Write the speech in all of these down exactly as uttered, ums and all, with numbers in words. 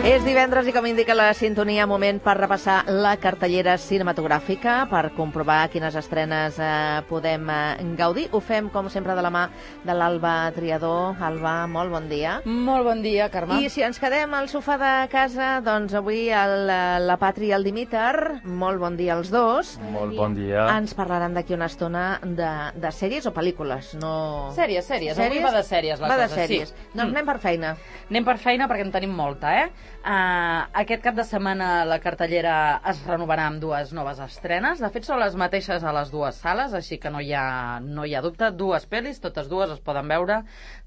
És divendres i, com indica la sintonia, moment per repassar la cartellera cinematogràfica, per comprovar quines estrenes eh, podem eh, gaudir. Ho fem, com sempre, de la mà de l'Alba Triador. Alba, molt bon dia. Molt bon dia, Carme. I si ens quedem al sofà de casa, doncs avui el, la Patri i el Dimiter, molt bon dia als dos. Molt bon dia. Ens parlaran d'aquí una estona de, de sèries o pel·lícules, no... Sèries, sèries. Avui va de sèries la va cosa, de sèries. Sí. Doncs anem per feina. Anem per feina perquè en tenim molta, eh? Uh, aquest cap de setmana la cartellera es renovarà amb dues noves estrenes. De fet, són les mateixes a les dues sales, així que no hi ha, no hi ha dubte. Dues pel·lis, totes dues es poden veure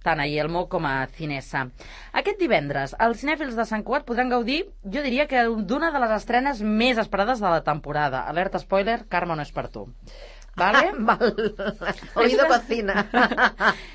tant a Yelmo com a Cinesa. Aquest divendres, els cinèfils de Sant Cugat podran gaudir, jo diria que d'una de les estrenes més esperades de la temporada. Alerta spoiler, Carme, no és per tu. Vale? Ah, val. Oído cocina.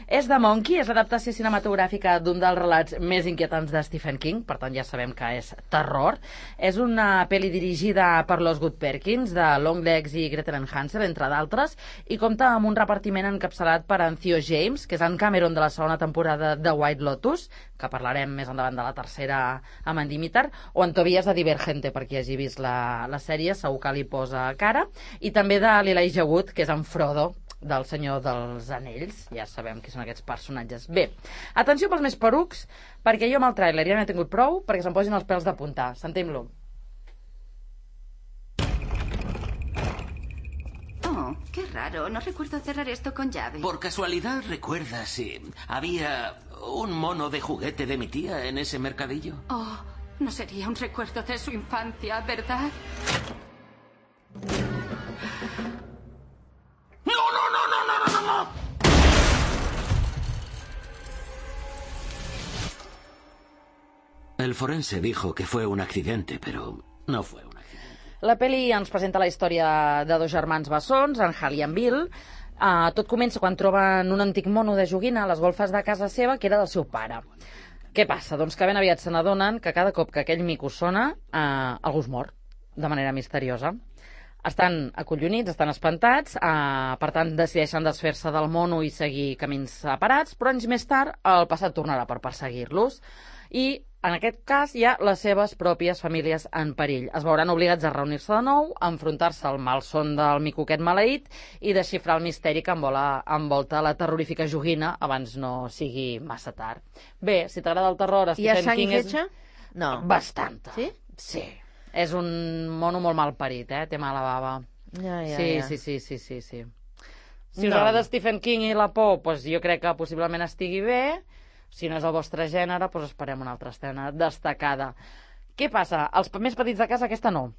És The Monkey, és l'adaptació cinematogràfica d'un dels relats més inquietants de Stephen King, per tant ja sabem que és terror. És una pel·li dirigida per l'Osgood Perkins, de Longlegs i Gretel and Hansel, entre d'altres, i compta amb un repartiment encapçalat per en Theo James, que és en Cameron de la segona temporada de White Lotus, que parlarem més endavant de la tercera amb en Dimitar, o en Tobias de Divergente, per qui hagi vist la, la sèrie, segur que li posa cara, i també de l'Elijah Wood, que és en Frodo, del Senyor dels Anells. Ja sabem qui són aquests personatges. Bé, atenció pels més perucs, perquè jo amb el tràiler ja n'he tingut prou, perquè se'm posin els pèls de puntar. Sentim-lo. Oh, qué raro. No recuerdo cerrar esto con llave. Por casualidad, ¿recuerdas si había un mono de juguete de mi tía en ese mercadillo? Oh, no sería un recuerdo de su infancia, ¿verdad? ¡No, no, no, no, no, no, no! El forense dijo que fue un accidente, pero no fue un accidente. La pel·li ens presenta la història de dos germans bessons, en Hal i en Bill. Uh, tot comença quan troben un antic mono de joguina a les golfes de casa seva, que era del seu pare. Què passa? Doncs que ben aviat se n'adonen que cada cop que aquell mico sona, uh, algú es mor, de manera misteriosa. Estan acollonits, estan espantats, eh, per tant decideixen desfer-se del mono i seguir camins separats, però anys més tard el passat tornarà per perseguir-los i en aquest cas hi ha les seves pròpies famílies en perill. Es veuran obligats a reunir-se de nou, a enfrontar-se al malson del mico aquest maleït i desxifrar el misteri que envola, envolta la terrorífica joguina abans no sigui massa tard. Bé, si t'agrada el terror... Hi ha sang i és... fetge? No. Bastanta. Sí? Sí. És un mono molt mal parit, eh? Té mala bava. Ja, ja, sí, ja. sí, sí, sí, sí, sí. Si us No. agrada Stephen King i la por, doncs jo crec que possiblement estigui bé. Si no és el vostre gènere, doncs esperem una altra escena destacada. Què passa? Els més petits de casa, aquesta no.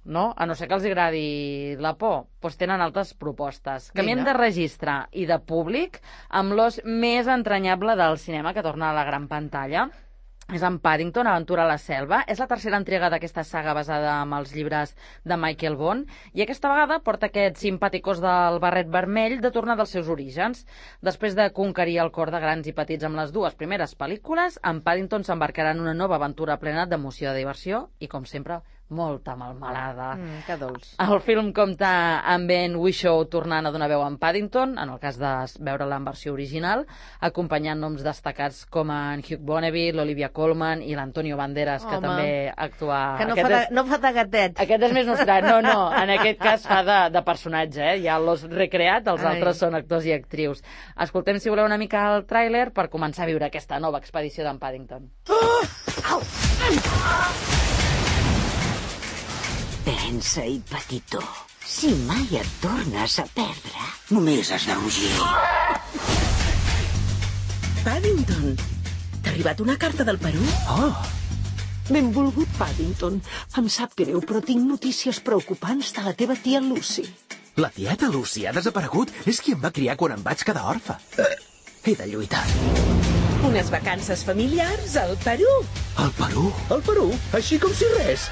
No? A no ser que els agradi la por, doncs tenen altres propostes. Canviem de registre i de públic amb l'os més entranyable del cinema que torna a la gran pantalla. És en Paddington, Aventura a la selva. És la tercera entrega d'aquesta saga basada en els llibres de Michael Bond i aquesta vegada porta aquests simpàticos del barret vermell de tornar dels seus orígens. Després de conquerir el cor de grans i petits amb les dues primeres pel·lícules, en Paddington s'embarcarà en una nova aventura plena d'emoció i de diversió i, com sempre, molta melmelada. Mm, que dolç. El film compta amb Ben Whishaw tornant a donar veu en Paddington, en el cas de veure-la en versió original, acompanyant noms destacats com en Hugh Bonneville, l'Olivia Colman i l'Antonio Banderas, que Home. també actua... Que no, Aquest fa de, és... no fa de gatet. Aquest és més nostrat. No, no, en aquest cas fa de, de personatge, eh? Ja l'os recreat, els Ai. altres són actors i actrius. Escoltem, si voleu, una mica el tràiler per començar a viure aquesta nova expedició d'en Paddington. Au! Pensa-hi, petitó. Si mai et tornes a perdre... Només has de rugir. Paddington, t'ha arribat una carta del Perú? Oh, Benvolgut, Paddington. Em sap greu, però tinc notícies preocupants de la teva tia Lucy. La tieta Lucy ha desaparegut. És qui em va criar quan em vaig quedar orfe. He de lluitar. Unes vacances familiars al Perú. Al Perú? Al Perú? Així com si res.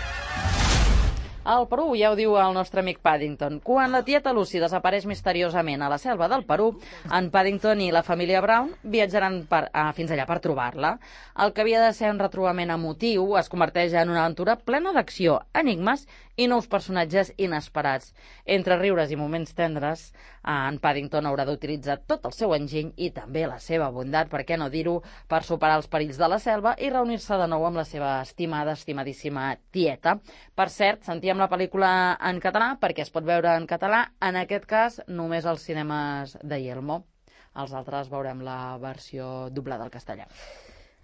Al Perú, ja ho diu el nostre amic Paddington, quan la tieta Lucy desapareix misteriosament a la selva del Perú, en Paddington i la família Brown viatjaran per, ah, fins allà per trobar-la. El que havia de ser un retrobament emotiu es converteix en una aventura plena d'acció, enigmes i nous personatges inesperats. Entre riures i moments tendres, en Paddington haurà d'utilitzar tot el seu enginy i també la seva bondat, per què no dir-ho, per superar els perills de la selva i reunir-se de nou amb la seva estimada, estimadíssima tieta. Per cert, sentíem la pel·lícula en català perquè es pot veure en català, en aquest cas només als cinemes de Yelmo. Els altres veurem la versió doblada al castellà.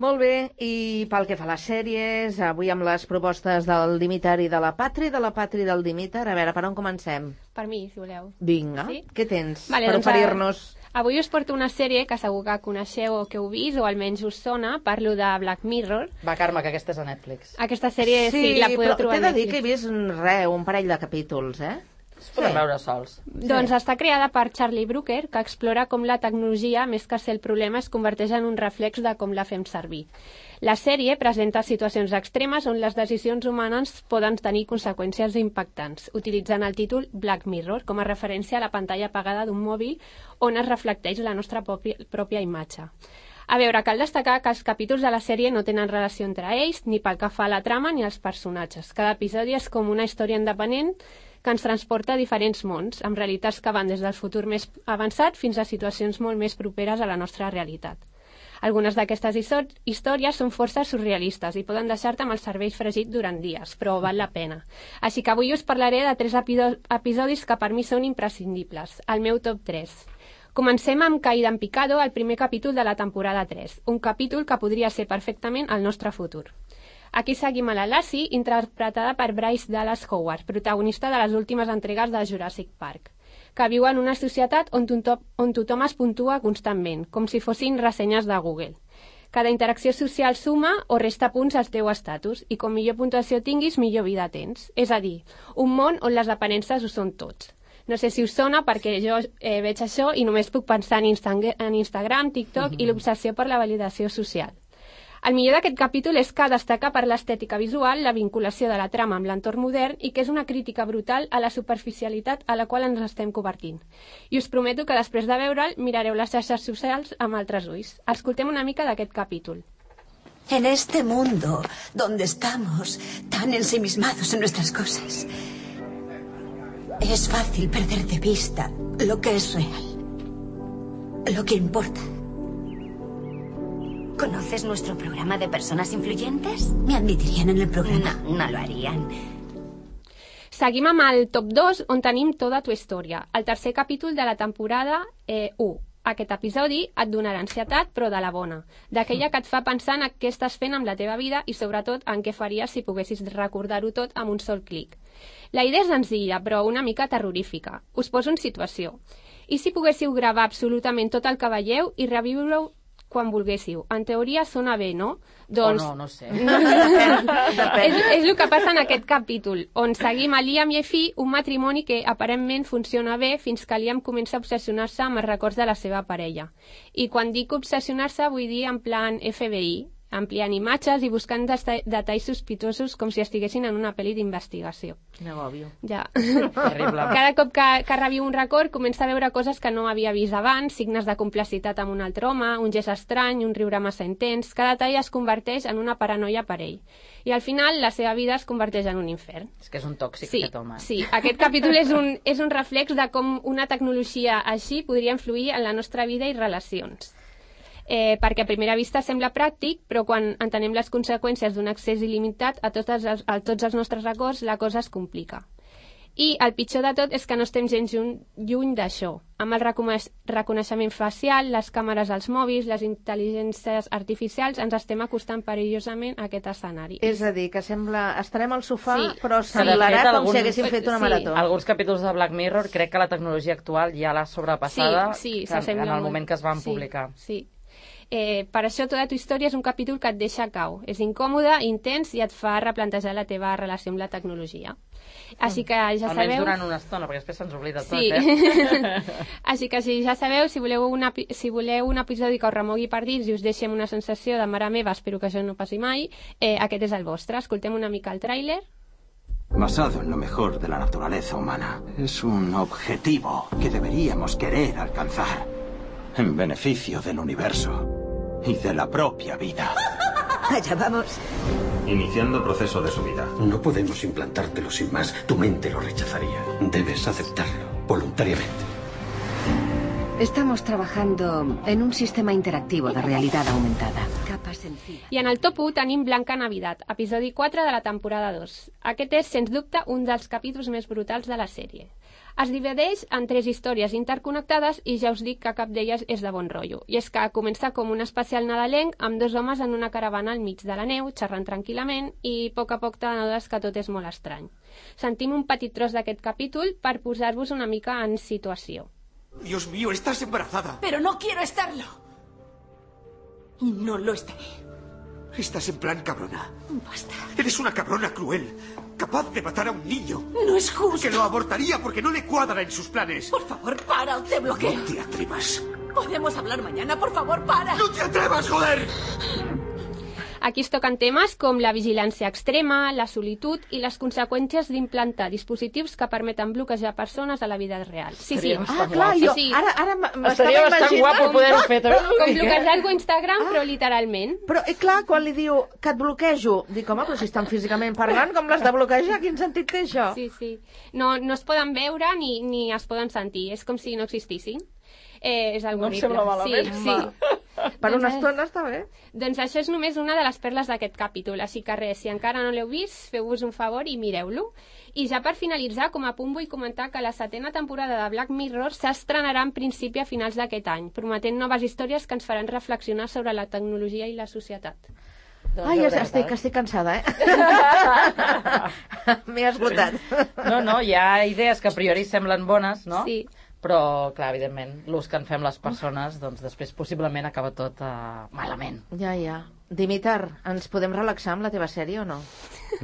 Molt bé, i pel que fa a les sèries, avui amb les propostes del Dimitar i de la Patri, de la Patri i del Dimitar, a veure, per on comencem? Per mi, si voleu. Vinga, sí? Què tens vale, per doncs, oferir-nos? Avui us porto una sèrie que segur que coneixeu o que heu vist, o almenys us sona. Parlo de Black Mirror. Va, Carme, que aquesta és a Netflix. Aquesta sèrie sí, sí la podeu trobar a Netflix. Sí, però t'he de dir que he vist res, un parell de capítols, eh? Es poden sí. veure sols. Doncs sí. Està creada per Charlie Brooker, que explora com la tecnologia, més que ser el problema, es converteix en un reflex de com la fem servir. La sèrie presenta situacions extremes on les decisions humanes poden tenir conseqüències impactants, utilitzant el títol Black Mirror com a referència a la pantalla apagada d'un mòbil on es reflecteix la nostra pròpia, pròpia imatge. A veure, cal destacar que els capítols de la sèrie no tenen relació entre ells, ni pel que fa a la trama ni als personatges. Cada episodi és com una història independent que ens transporta a diferents mons, amb realitats que van des del futur més avançat fins a situacions molt més properes a la nostra realitat. Algunes d'aquestes històries són força surrealistes i poden deixar-te amb el cervell fregit durant dies, però val la pena. Així que avui us parlaré de tres episodis que per mi són imprescindibles, el meu top tres. Comencem amb Caída en Picado, el primer capítol de la temporada tres, un capítol que podria ser perfectament el nostre futur. Aquí seguim a la Lassie, interpretada per Bryce Dallas Howard, protagonista de les últimes entregues de Jurassic Park, que viu en una societat on tothom, on tothom es puntua constantment, com si fossin ressenyes de Google. Cada interacció social suma o resta punts al teu estatus, i com millor puntuació tinguis, millor vida tens. És a dir, un món on les aparences ho són tots. No sé si us sona perquè jo eh, veig això i només puc pensar en, Insta en Instagram, TikTok mm-hmm. i l'obsessió per la validació social. El millor d'aquest capítol és que destaca per l'estètica visual, la vinculació de la trama amb l'entorn modern i que és una crítica brutal a la superficialitat a la qual ens estem convertint. I us prometo que després de veure'l mirareu les xarxes socials amb altres ulls. Escoltem una mica d'aquest capítol. En este mundo donde estamos tan ensimismados en nuestras cosas, es fácil perder de vista lo que es real, lo que importa. ¿Conoces nuestro programa de personas influyentes? Me admitirían en el programa. No, no lo harían. Seguim amb el top dos, on tenim Tota tu història, el tercer capítol de la temporada eh, u. Aquest episodi et donarà ansietat, però de la bona, d'aquella que et fa pensar en què estàs fent amb la teva vida i sobretot en què faries si poguessis recordar-ho tot amb un sol clic. La idea és senzilla, però una mica terrorífica. Us poso en situació. I si poguéssiu gravar absolutament tot el que veieu i reviure-ho quan volguéssiu. En teoria sona bé, no? Doncs... O no, no sé. No, depèn, depèn. És, és el que passa en aquest capítol, on seguim a Liam i Effie, un matrimoni que aparentment funciona bé fins que Liam comença a obsessionar-se amb els records de la seva parella. I quan dic obsessionar-se vull dir en plan F B I, ampliant imatges i buscant detalls sospitosos com si estiguessin en una pel·li d'investigació. Quina òbvio. Ja. Terrible. Cada cop que, que reviu un record comença a veure coses que no havia vist abans, signes de complicitat amb un altre home, un gest estrany, un riure massa intens. Cada tall es converteix en una paranoia per ell. I al final la seva vida es converteix en un infern. És que és un tòxic, sí, aquest home. Sí, aquest capítol és un, és un reflex de com una tecnologia així podria influir en la nostra vida i relacions. Eh, perquè a primera vista sembla pràctic, però quan entenem les conseqüències d'un accés il·limitat a tots els, a tots els nostres records, la cosa es complica. I el pitjor de tot és que no estem gens lluny d'això. Amb el reconeixement facial, les càmeres als mòbils, les intel·ligències artificials, ens estem acostant perillosament a aquest escenari. És a dir, que sembla... Estarem al sofà, sí, però semblarà fet, com algun... si haguéssim fet una sí. marató. Alguns capítols de Black Mirror crec que la tecnologia actual ja l'ha sobrepassada sí, sí, que, en el moment que es van sí, publicar. Sí. Eh, per això Tota tu història és un capítol que et deixa cau. És incòmode, intens i et fa replantejar la teva relació amb la tecnologia. Així que ja sabeu... Almenys durant una estona, perquè després se'ns oblida tot, sí. eh? Així que si ja sabeu, si voleu, una, si voleu un episodi que us remogui per dins i us deixi amb una sensació de mare meva, espero que això no passi mai, eh, aquest és el vostre. Escoltem una mica el tràiler. basado en lo mejor de la naturaleza humana. Es un objetivo que deberíamos querer alcanzar en beneficio del universo y de la propia vida. Allá vamos. Iniciando proceso de subida. No podemos implantártelo sin más. Tu mente lo rechazaría. Debes aceptarlo voluntariamente. Estamos trabajando en un sistema interactivo de realidad aumentada. Capa sencilla. I en el top u tenim Blanca Navidad, episodi quatre de la temporada dos. Aquest és, sens dubte, un dels capítols més brutals de la sèrie. Es divideix en tres històries interconnectades i ja us dic que cap d'elles és de bon rotllo. I és que comença com un especial nadalenc amb dos homes en una caravana al mig de la neu, xerrant tranquil·lament, i a poc a poc t'adones que tot és molt estrany. Sentim un petit tros d'aquest capítol per posar-vos una mica en situació. Dios mío, estás embarazada. Pero no quiero estarlo. Y no lo estaré. Estás en plan cabrona. Basta. Eres una cabrona cruel, capaz de matar a un niño. No es justo. Que lo abortaría porque no le cuadra en sus planes. Por favor, para o te bloqueo. No te atrevas. Podemos hablar mañana, por favor, para. ¡No te atrevas, joder! Aquí es toquen temes com la vigilància extrema, la solitud i les conseqüències d'implantar dispositius que permeten bloquejar persones a la vida real. Sí, sí. Ah, clar, jo sí, sí. ara, ara m'estava Estaria bastant imaginant... guapo poder-ho fer. Com bloquejar algú a Instagram, però literalment. Però, eh, clar, quan li diu que et bloquejo, dic, home, però si estan físicament parlant, com l'has de bloquejar? Quin sentit té això? Sí, sí. No, no es poden veure ni, ni es poden sentir. És com si no existissin. Eh, és algo no em sembla malament. Sí, sí. Per doncs una és... estona està bé. Doncs això és només una de les perles d'aquest capítol, així que res, si encara no l'heu vist, feu-vos un favor i mireu-lo. I ja per finalitzar, com a punt vull comentar que la setena temporada de Black Mirror s'estrenarà en principi a finals d'aquest any, prometent noves històries que ens faran reflexionar sobre la tecnologia i la societat. Doncs Ai, ja estic, que estic cansada, eh? M'he esgotat. No, no, hi ha idees que a priori semblen bones, no? Sí. Però, clar, evidentment, l'ús que en fem les persones, doncs després possiblement acaba tot uh, malament. Ja, ja. Dimitar, ens podem relaxar amb la teva sèrie o no?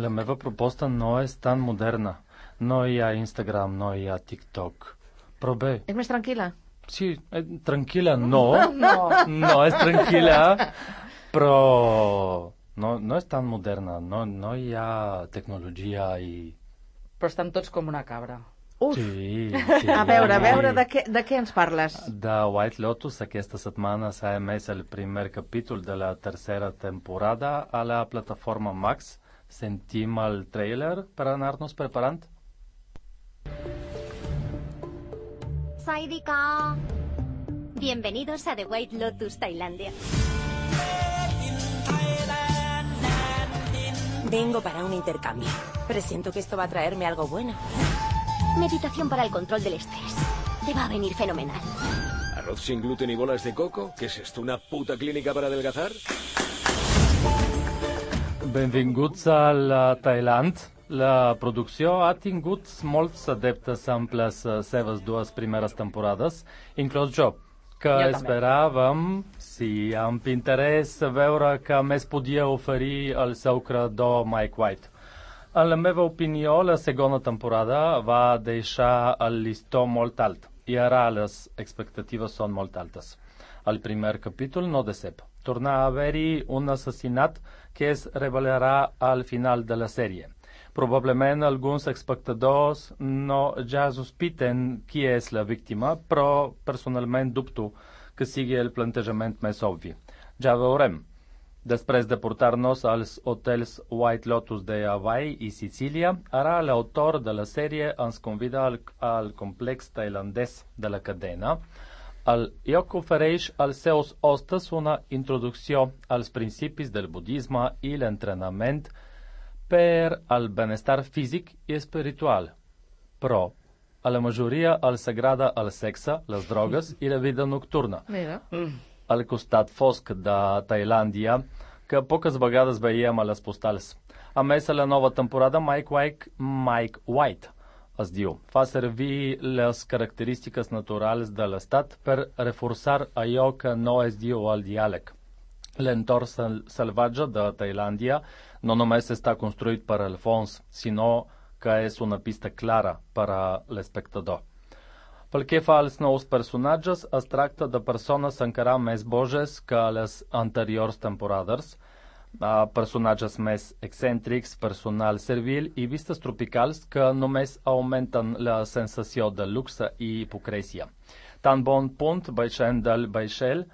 La meva proposta no és tan moderna. No hi ha Instagram, no hi ha TikTok. Però bé... És més tranquil·la? Sí, eh, tranquil·la no. No. No és tranquil·la, però no, no és tan moderna. No, no hi ha tecnologia i... Però estan tots com una cabra. Uf. Sí, sí. A veure, a veure, de què, de què ens parles? De White Lotus, aquesta setmana s'ha emès el primer capítol de la tercera temporada a la plataforma Max. Sentim el trailer per anar-nos preparant? Saidika. Bienvenidos a The White Lotus, Tailandia. Vengo para un intercambio. Presiento que esto va a traerme algo bueno. Meditación para el control del estrés. Te va a venir fenomenal. ¿Arroz sin gluten y bolas de coco? ¿Qué es esto, una puta clínica para adelgazar? Benvinguts a Thailand. La producció ha tingut molts adeptes amb les seves dues primeres temporades, inclòs jo, que jo esperàvem, sí, amb interès, veure què més podia oferir el seu creador Mike White. En la meva opinió, la segona temporada va deixar el llistó molt alt i ara les expectatives són molt altes. El primer capítol no decep. Torna a haver-hi un assassinat que es revelarà al final de la sèrie. Probablement alguns espectadors no ja sospiten qui és la víctima, però personalment dubto que sigui el plantejament més obvi. Ja veurem. Després de portar-nos als hotels White Lotus de Hawaii i Sicília, ara l'autor de la sèrie ens convida al, al complex tailandès de la cadena. El lloc ofereix als seus hostes una introducció als principis del budisme i l'entrenament per al benestar físic i espiritual. Però a la majoria els agrada el sexe, les drogues i la vida nocturna. Mira. Al costat fosc de Tailàndia, que poques vegades veiem a les postals. A més, a la nova temporada, Mike White, Mike White es diu, fa servir les característiques naturals de l'estat per reforçar allò que no es diu al diàleg. L'entorn sal salvatge de Tailàndia no només està construït per al fons, sinó que és una pista clara per a l'espectador. Pel que fa als nous personatges, es tracta de persones encara més boges que a les anteriors temporades, uh, personatges més excèntrics, personal servil i vistes tropicals que només augmenten la sensació de luxe i hipocresia. Tan bon punt baixant del vaixell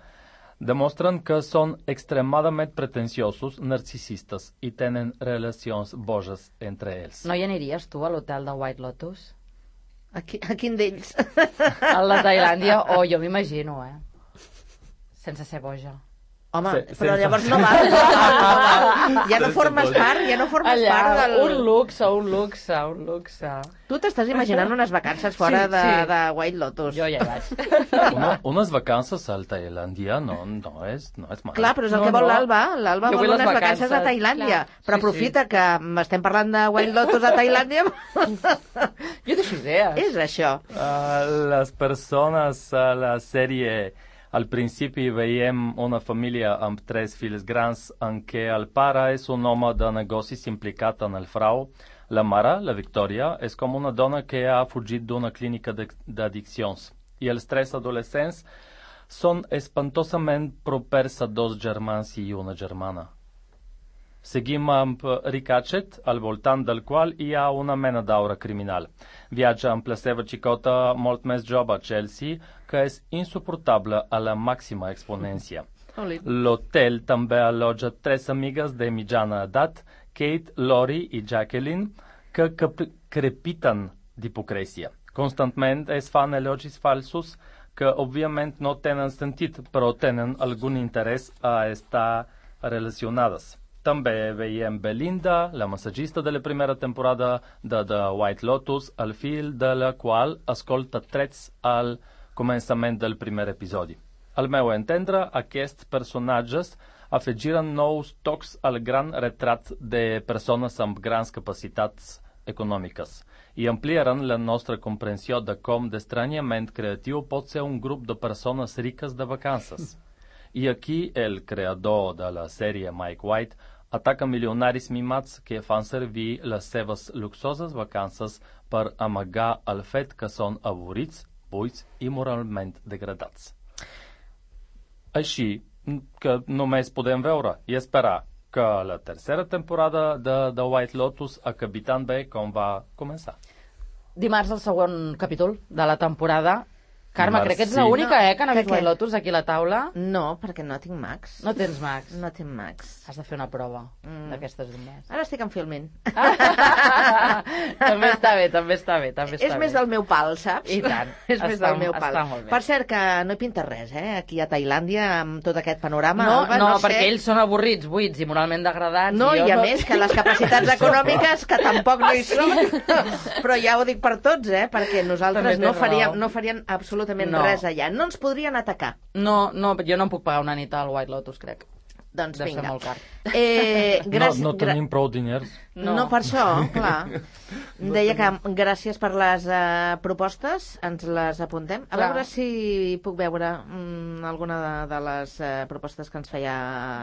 demostren que són extremadament pretensiosos, narcisistes i tenen relacions boges entre ells. No hi aniries tu a l'hotel de White Lotus? A, qui, a quin d'ells? A la Tailàndia? Oh, jo m'imagino, eh? Sense ser boja. Home, Se, però sense... llavors no val, no val, no val. Ja no formes part, ja no formes Allà, part del... un luxe, un luxe, un luxe. Tu t'estàs imaginant unes vacances fora sí, de, sí. de White Lotus. Jo ja hi vaig. Una, unes vacances a Tailàndia no, no, és, no és mal. Clar, però és el No, que vol no. l'Alba. L'Alba Jo vol vull unes les vacances, vacances. a Tailàndia. Clar. Però Sí, aprofita sí. que estem parlant de White Lotus a Tailàndia. Jo deixo idees. És això. Uh, les persones a la sèrie, al principi veiem una família amb tres fills grans en què el pare és un home de negocis implicat en el frau. La mare, la Victòria, és com una dona que ha fugit d'una clínica d'addiccions. I els tres adolescents són espantosament propers a dos germans i una germana. Seguim amb Rick Hatchett, al voltant del qual hi ha una mena d'aura criminal. Viatja amb la seva xicota molt més jove, Chelsea, que és insuportable a la màxima exponència. L'hotel també allotja tres amigues de mitjana edat, Kate, Lori i Jacqueline, que crepiten d'hipocresia. Constantment es fan elogis falsos que, òbviament, no tenen sentit, però tenen algun interès a estar relacionades. També veiem Belinda, la massagista de la primera temporada de The White Lotus, al fil de la qual escolta trets al començament del primer episodi. Al meu entendre, aquests personatges afegiren nous tocs al gran retrat de persones amb grans capacitats econòmiques i ampliaran la nostra comprensió de com d'estranyament creatiu pot ser un grup de persones riques de vacances. I aquí el creador de la sèrie, Mike White, ataca milionaris mimats que fan servir les seves luxoses vacances per amagar el fet que són avorrits, buits i moralment degradats. Així que només podem veure i esperar que la tercera temporada de The White Lotus acabi tan bé com va començar. Dimarts el següent capítol de la temporada. Carme, Dimarts, crec que ets sí. l'única, eh, que n'ha Que vist què? White Lotus aquí a la taula. No, perquè no tinc Max. No tens Max. No tinc Max. Has de fer una prova Mm. d'aquestes d'un mes. Ara estic en filming. També està bé, també està bé, també està És bé. més del meu pal, saps? I tant. És més Està- del meu pal. està molt bé. Per cert, que no hi pinta res, eh? Aquí a Tailàndia, amb tot aquest panorama. No, Alba, no, no sé... perquè ells són avorrits, buits i moralment degradats. No, i, jo i a més que les capacitats econòmiques, que tampoc no hi són, però ja ho dic per tots, eh? Perquè També nosaltres tens no faríem, raó. no faríem absolutament No. res allà. No ens podrien atacar. No, no, jo no em puc pagar una nit al White Lotus, crec. Doncs Deu ser vinga. molt car. Eh, gràcies, No, no tenim prou diners. No. no, per això, clar. Deia que gràcies per les uh, propostes, ens les apuntem. A Clar. veure si puc veure mm, alguna de, de les uh, propostes que ens feia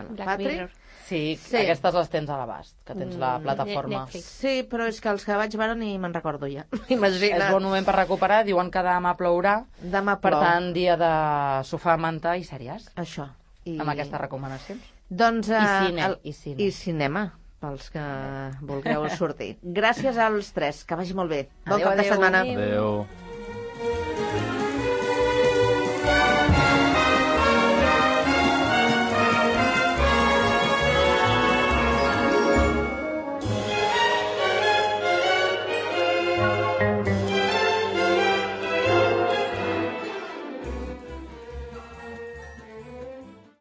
Black Patrick. Mirror. Sí, Sí. aquestes les tens a l'abast, que tens la Mm, plataforma. Netflix. Sí, però és que els que vaig veure ni me'n recordo ja. Imagina't. És bon moment per recuperar, diuen que demà plourà, Demà per plou. tant, dia de sofà, manta i sèries, Això. I... amb aquestes recomanacions. Doncs, uh, I cine, el... i cine. I cinema, pels que vulgueu sortir. Gràcies als tres, que vagi molt bé. Bon Adéu, cap de adéu. setmana. Adéu. Adéu.